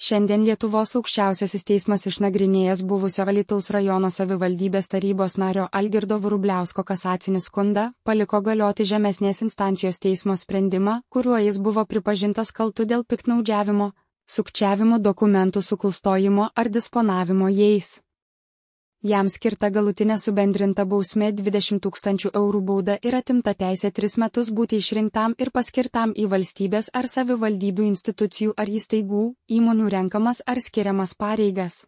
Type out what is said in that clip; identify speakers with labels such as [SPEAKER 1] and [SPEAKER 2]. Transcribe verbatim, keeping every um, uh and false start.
[SPEAKER 1] Šiandien Lietuvos aukščiausiasis teismas išnagrinėjęs buvusio Alytaus rajono savivaldybės tarybos nario Algirdo Vrubliausko kasacinį skundą, paliko galioti žemesnės instancijos teismo sprendimą, kuriuo jis buvo pripažintas kaltu dėl piktnaudžiavimo, sukčiavimo dokumentų suklastojimo ar disponavimo jais. Jam skirta galutinė subendrinta bausmė dvidešimt tūkstančių eurų bauda ir atimta teisė tris metus būti išrinktam ir paskirtam į valstybės ar savivaldybių institucijų ar įstaigų, įmonių renkamas ar skiriamas pareigas.